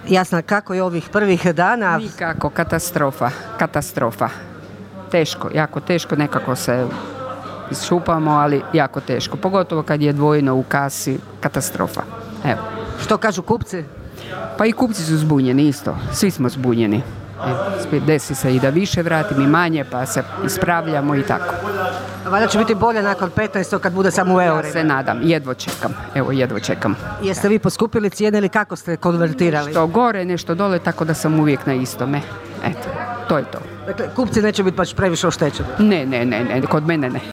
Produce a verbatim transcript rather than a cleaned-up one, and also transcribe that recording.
Jasno, kako je ovih prvih dana? Nikako, katastrofa, katastrofa. Teško, jako teško, nekako se iščupamo, ali jako teško. Pogotovo kad je dvojno u kasi, katastrofa. Evo. Što kažu kupci? Pa i kupci su zbunjeni isto, svi smo zbunjeni. Evo, desi se i da više vratim i manje, pa se ispravljamo i tako. Valjda će biti bolje nakon petnaestog kad bude samo u eurima. Ja se nadam, jedvo čekam, evo jedvo čekam. Jeste vi poskupili cijene ili kako ste konvertirali? Nešto gore, nešto dole, tako da sam uvijek na istome. Eto, to je to. Dakle, kupci neće biti baš previše oštećeni? Ne, ne, ne, ne, kod mene ne.